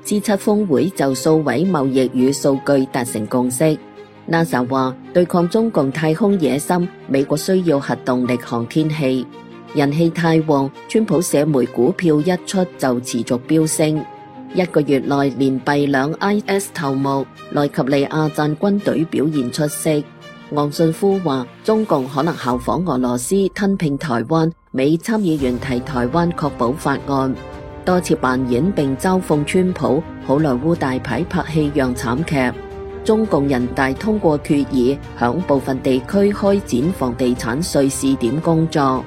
G7 峰會就數位貿易與數據達成共識。NASA 話對抗中共太空野心，美國需要核動力航天器。人氣太旺，川普社媒股票一出就持續飆升。1個月內連斃兩 IS 頭目，奈及利亞讚軍隊表現出色。昂信夫話中共可能效仿俄羅斯吞併台灣，美參議員提台灣確保法案。多次扮演並嘲諷川普，好萊塢大牌拍戲樣慘劇。中共人大通過決議，響部分地區開展房地產稅試點工作。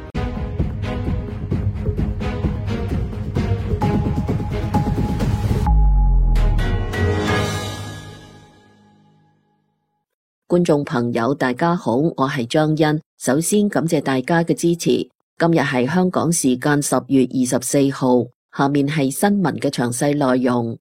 觀眾朋友大家好，我係張欣，首先感謝大家嘅支持。今日係香港時間10月24號，下面係新聞嘅詳細內容。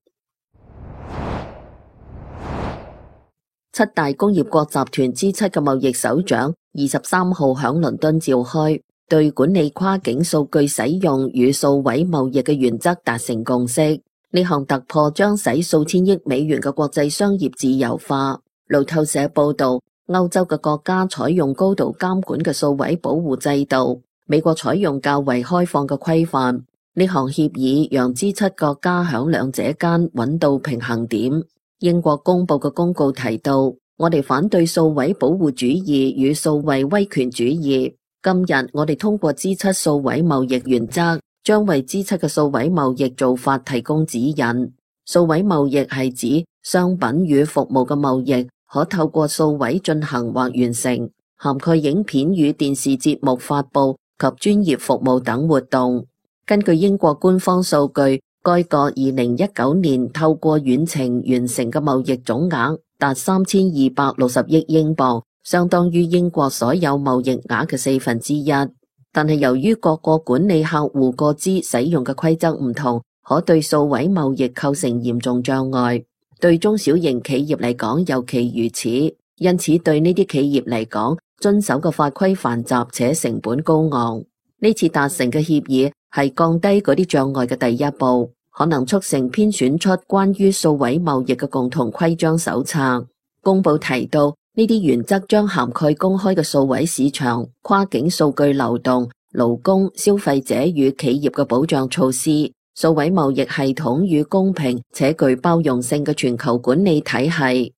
七大工業國集團之7嘅貿易首長23號響倫敦召開，對管理跨境數據使用與數位貿易嘅原則達成共識。呢項突破將使數千億美元嘅國際商業自由化。路透社報道，歐洲嘅國家採用高度監管嘅數位保護制度，美國採用較為開放嘅規範。呢項協議讓G7國家響兩者間揾到平衡點。英國公布嘅公告提到，我哋反對數位保護主義與數位威權主義。今日我哋通過G7數位貿易原則，將為G7嘅數位貿易做法提供指引。數位貿易係指商品與服務嘅貿易可透過數位進行或完成，涵蓋影片與電視節目發佈及專業服務等活動。根據英國官方數據，該國2019年透過遠程完成嘅貿易總額達3260億英鎊，相當於英國所有貿易額嘅1/4。但係由於各國管理客戶個資使用嘅規則唔同，可對數位貿易構成嚴重障礙。對中小型企業嚟講尤其如此，因此對呢啲企業嚟講，遵守嘅法規繁雜且成本高昂。呢次達成嘅協議係降低嗰啲障礙嘅第一步，可能促成編選出關於數位貿易嘅共同規章手冊。公報提到，呢啲原則將涵蓋公開嘅數位市場、跨境數據流動、勞工、消費者與企業嘅保障措施、數位貿易系統與公平且具包容性嘅全球管理體系。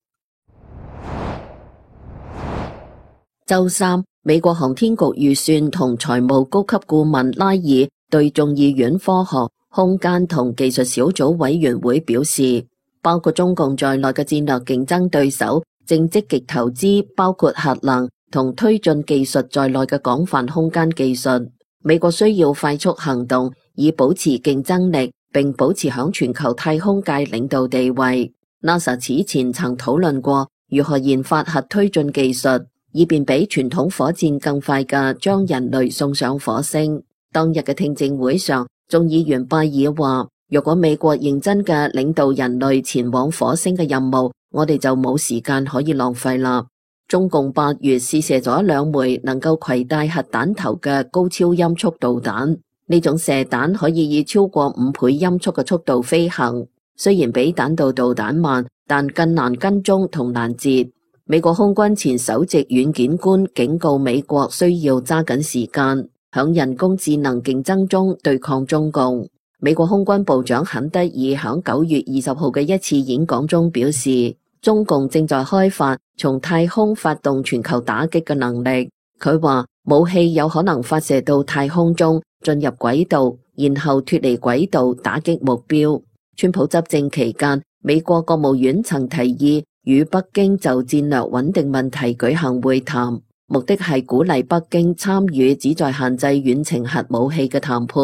周三，美國航天局預算同財務高級顧問拉爾對眾議院科學、空間同技術小組委員會表示，包括中共在內嘅戰略競爭對手正積極投資包括核能同推進技術在內嘅廣泛空間技術。美國需要快速行動，以保持競爭力，並保持響全球太空界領導地位。NASA 此前曾討論過如何研發核推進技術，以便比傳統火箭更快嘅將人類送上火星。當日嘅聽證會上，眾議員拜爾話，如果美國認真嘅領導人類前往火星嘅任務，我哋就冇時間可以浪費啦。中共8月試射咗2枚能夠攜帶核彈頭嘅高超音速導彈，呢種射彈可以以超過5倍音速嘅速度飛行，雖然比彈道導彈慢，但更難跟蹤同攔截。美國空軍前首席軟件官警告美國需要揸緊時間，響人工智能競爭中對抗中共。美國空軍部長肯德爾響9月20號嘅一次演講中表示，中共正在開發從太空發動全球打擊嘅能力。佢話武器有可能發射到太空中，進入軌道，然後脫離軌道打擊目標。川普執政期間，美國國務院曾提議與北京就戰略穩定問題舉行會談，目的係鼓勵北京參與旨在限制遠程核武器嘅談判，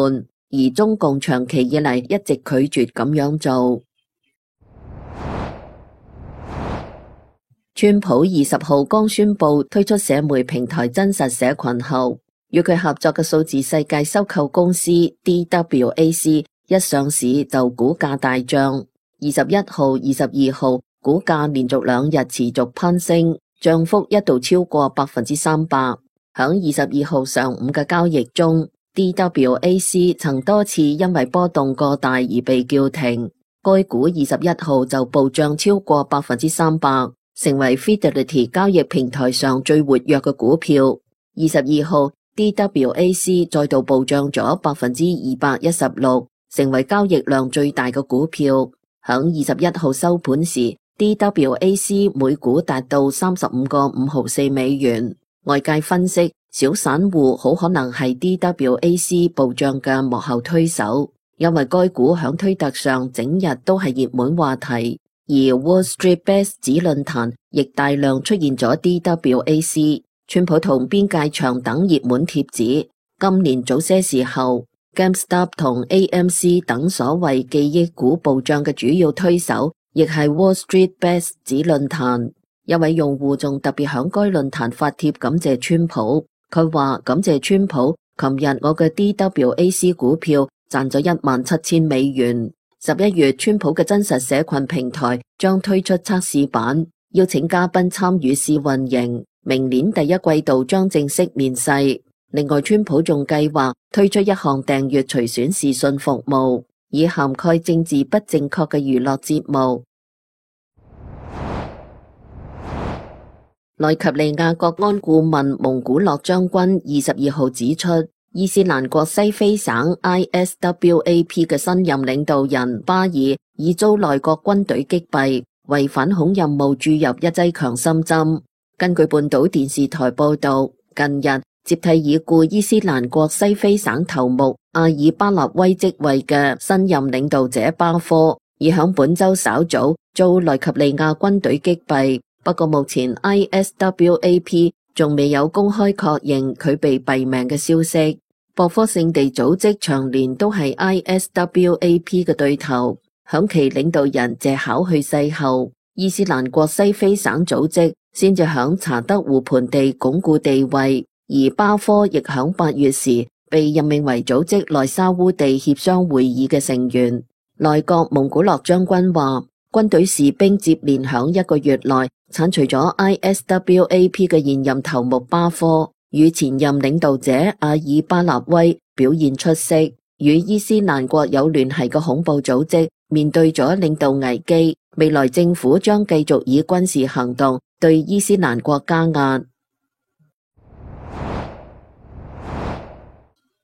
而中共長期以嚟一直拒絕咁樣做。川普20號剛宣布推出社媒平台真實社群後，與佢合作嘅數字世界收購公司 DWAC 一上市就股價大漲。21號、22號股價連續2日持續攀升，漲幅一度超過300%。響22號上午嘅交易中，DWAC 曾多次因為波動過大而被叫停。該股21號就暴漲超過300%，成為 Fidelity 交易平台上最活躍嘅股票。22號 DWAC 再度暴漲咗216%，成為交易量最大嘅股票。響21號收盤時，DWAC 每股達到35.554美元。外界分析，小散戶好可能係 DWAC 暴漲嘅幕後推手，因為該股響推特上整日都係熱門話題，而 Wall Street Bets 子論壇亦大量出現咗 DWAC、川普同邊界牆等熱門貼紙。今年早些時候，GameStop 同 AMC 等所謂記憶股暴漲嘅主要推手，亦係 Wall Street Bets 子論壇。一位用戶仲特別響該論壇發帖感謝川普，佢話感謝川普，琴日我嘅 DWAC 股票賺咗17000美元。11月川普嘅真實社群平台將推出測試版，邀請嘉賓參與試運營，明年第一季度將正式面世。另外，川普仲計劃推出一項訂閱隨選視訊服務，以涵蓋政治不正確嘅娛樂節目。奈及利亞國安顧問蒙古諾將軍22號指出，伊斯蘭國西非省 ISWAP 嘅新任領導人巴爾已遭內閣軍隊擊斃，為反恐任務注入一劑強心針。根據半島電視台報道，近日接替已故伊斯蘭國西非省頭目阿爾巴納威職位嘅新任領導者巴科，已響本周稍早遭奈及利亞軍隊擊斃。不過目前 ISWAP 仲未有公開確認佢被斃命嘅消息。博科聖地組織長年都係 ISWAP 嘅對頭，響其領導人謝考去世後，伊斯蘭國西非省組織先至響查德湖盆地鞏固地位，而巴科亦響8月時被任命為組織內沙烏地協商會議嘅成員。內閣蒙古諾將軍話，軍隊士兵接連響1個月內剷除咗 ISWAP 嘅現任頭目巴科，與前任領導者阿爾巴納威表現出色。與伊斯蘭國有聯繫嘅恐怖組織面對咗領導危機，未來政府將繼續以軍事行動對伊斯蘭國加壓。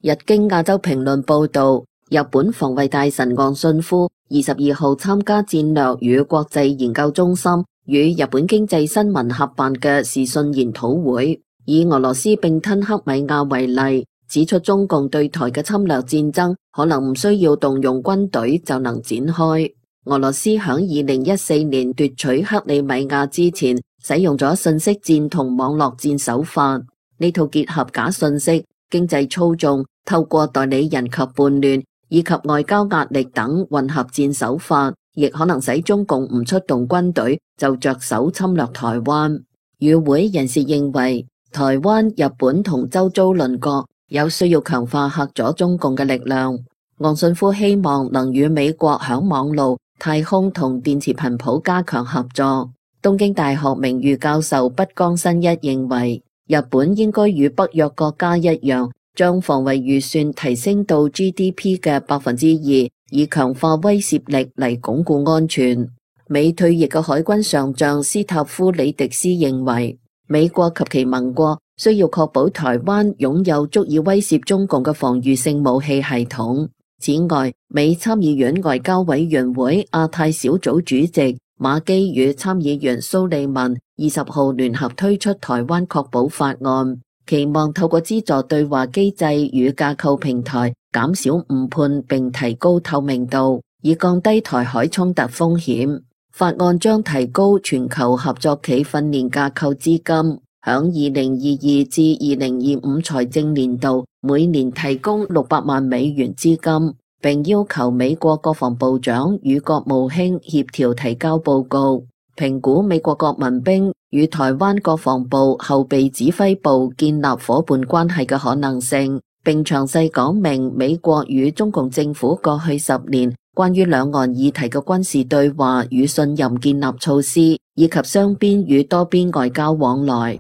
日經亞洲評論報道，日本防衛大臣岸信夫22號參加戰略與國際研究中心與日本經濟新聞合辦嘅視訊研討會，以俄羅斯併吞克米亞為例，指出中共對台嘅侵略戰爭可能唔需要動用軍隊就能展開。俄羅斯響2014年奪取克里米亞之前，使用咗信息戰同網絡戰手法，呢套結合假信息、經濟操縱、透過代理人及叛亂以及外交壓力等混合戰手法，亦可能使中共唔出動軍隊就着手侵略台灣。與會人士認為，台灣、日本同周遭鄰國有需要強化嚇阻中共嘅力量。岸信夫希望能與美國響網路、太空同電磁頻譜加強合作。東京大學名譽教授畢江新一認為，日本應該與北約國家一樣，將防衛預算提升到 GDP 嘅2%，以強化威懾力嚟鞏固安全。美退役嘅海軍上將斯塔夫里迪斯認為，美國及其盟國需要確保台灣擁有足以威懾中共嘅防禦性武器系統。此外，美參議院外交委員會亞太小組主席馬基與參議員蘇利文20號聯合推出台灣確保法案，期望透過資助對話機制與架構平台，減少誤判並提高透明度，以降低台海衝突風險。法案將提高全球合作企訓練架構資金，響2022至2025財政年度每年提供600萬美元資金，並要求美國國防部長與國務卿協調提交報告，評估美國國民兵與台灣國防部後備指揮部建立夥伴關係嘅可能性，並詳細講明美國與中共政府過去10年關於兩岸議題嘅軍事對話與信任建立措施，以及雙邊與多邊外交往來。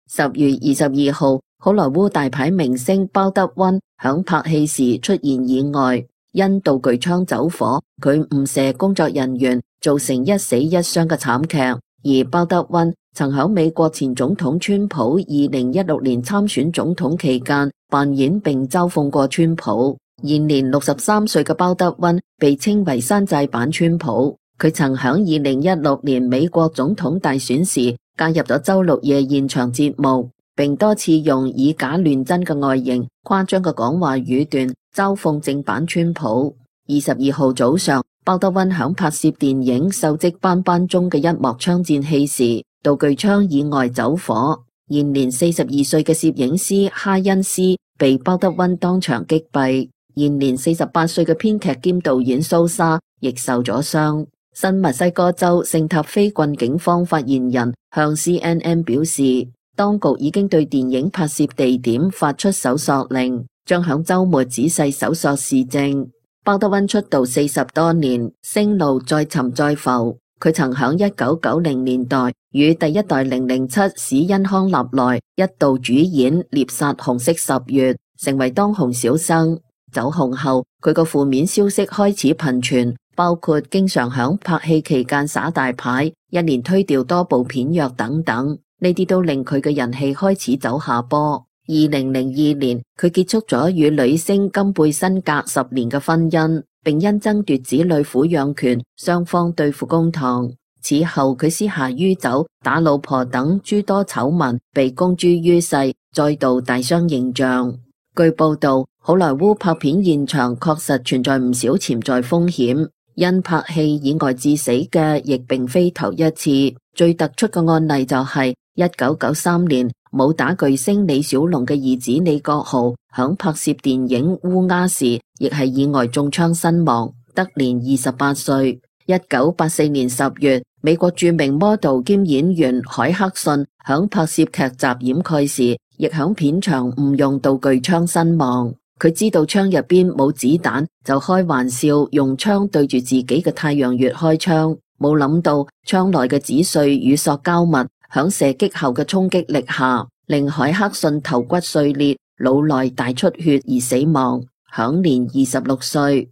10月22號，好萊塢大牌明星鮑德溫響拍戲時出現意外，因道具槍走火，佢誤射工作人員，造成1死1傷嘅慘劇。而鮑德溫曾喺美國前總統川普2016年參選總統期間扮演並嘲諷過川普。現年63歲嘅鮑德溫被稱為山寨版川普。佢曾喺2016年美國總統大選時加入咗周六夜現場節目，並多次用以假亂真嘅外形、誇張嘅講話語段嘲諷正版川普。22號早上，鮑德溫響拍攝電影《鏽跡斑斑》中嘅一幕槍戰戲時，道具槍意外走火。現年42歲嘅攝影師哈恩斯被鮑德溫當場擊斃。現年48歲嘅編劇兼導演蘇莎亦受咗傷。新墨西哥州聖塔菲郡警方發言人向 CNN 表示，當局已經對電影拍攝地點發出搜索令，將響週末仔細搜索事證。鮑德溫出道40多年，聲路再沉再浮。佢曾響1990年代與第一代007史恩康納萊一度主演《獵殺紅色十月》，成為當紅小生。走紅後，佢個負面消息開始頻傳，包括經常響拍戲期間耍大牌，一連推掉多部片約等等，呢啲都令佢嘅人氣開始走下坡。2002年，佢結束咗與女星金貝辛格10年嘅婚姻，並因爭奪子女撫養權，雙方對簿公堂。此後，佢私下酗酒、打老婆等諸多醜聞被公諸於世，再度大傷形象。據報道，好萊塢拍片現場確實存在唔少潛在風險，因拍戲意外致死嘅亦並非頭一次。最突出嘅案例就係1993年武打巨星李小龍嘅兒子李國豪響拍攝電影《烏鴉》時，亦係意外中槍身亡，得年28歲。1984年10月，美國著名 model 兼演員海克遜響拍攝劇集掩蓋時，亦響片場誤用道具槍身亡。佢知道槍入邊冇子彈，就開玩笑用槍對住自己嘅太陽穴開槍，冇諗到槍內嘅紙碎與塑膠物響射擊後嘅衝擊力下，令海克遜頭骨碎裂、腦內大出血而死亡，享年26歲。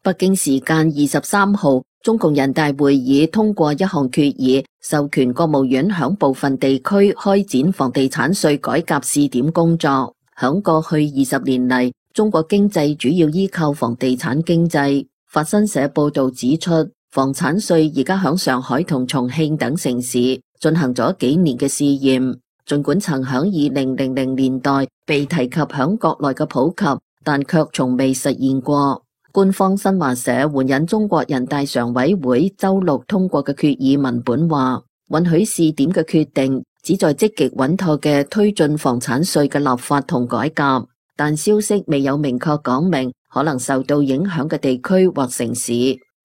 北京時間23號，中共人大會議通過一項決議，授權國務院響部分地區開展房地產稅改革試點工作。響過去20年嚟，中國經濟主要依靠房地產經濟。法新社報道指出，房產稅而家響上海同重慶等城市進行咗幾年嘅試驗，盡管曾響2000年代被提及響國內嘅普及，但卻從未實現過。官方新華社援引中國人大常委會周六通過嘅決議文本話，允許試點嘅決定旨在積極穩妥嘅推進房產稅嘅立法同改革，但消息未有明確講明可能受到影響嘅地區或城市。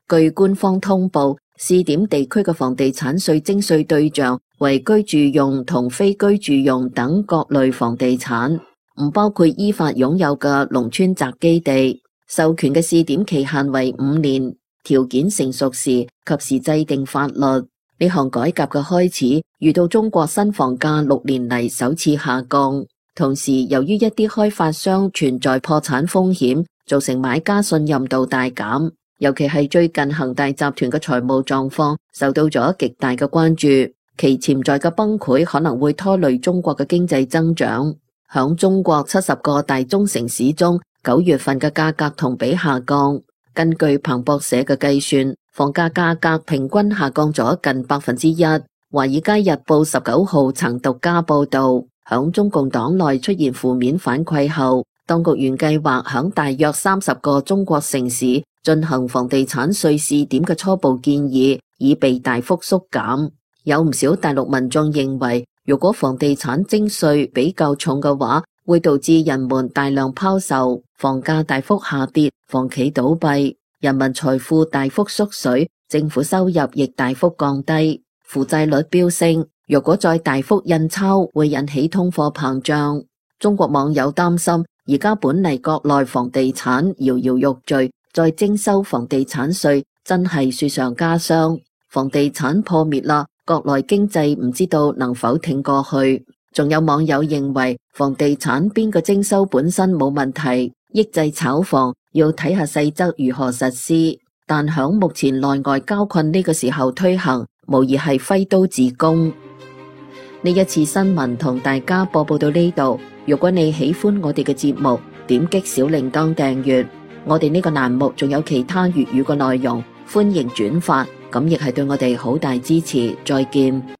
據官方通報，試點地區嘅房地產稅徵稅對象為居住用同非居住用等各類房地產，唔包括依法擁有嘅農村宅基地。授權嘅試點期限為5年，條件成熟時及時制定法律。呢項改革嘅開始遇到中國新房價6年嚟首次下降，同時由於一啲開發商存在破產風險，造成買家信任度大減。尤其係最近恒大集團嘅財務狀況受到咗極大嘅關注，其潛在嘅崩潰可能會拖累中國嘅經濟增長。響中國70個大中城市中，9月份嘅價格同比下降。根據彭博社嘅計算，房價價格平均下降咗近1%。華爾街日報19號曾獨家報道，響中共黨內出現負面反饋後，當局原計劃響大約30個中國城市進行房地產稅試點嘅初步建議，已被大幅縮減。有唔少大陸民眾認為，如果房地產徵稅比較重嘅話，會導致人們大量拋售，房價大幅下跌，房企倒閉，人民財富大幅縮水，政府收入亦大幅降低，負債率飆升。若果再大幅印鈔，會引起通貨膨脹。中國網友擔心，而家本嚟國內房地產搖搖欲墜，再徵收房地產稅，真係雪上加霜。房地產破滅啦，國內經濟唔知道能否挺過去。仲有網友認為房地產邊個徵收本身冇問題，抑制炒房要睇下細則如何實施，但響目前內外交困呢個時候推行，無疑係揮刀自宮。呢一次新聞同大家播報到呢度，如果你喜歡我哋嘅節目，點擊小鈴鐺訂閱，我哋呢個欄目仲有其他粵語嘅內容，歡迎轉發，咁亦係對我哋好大支持。再見。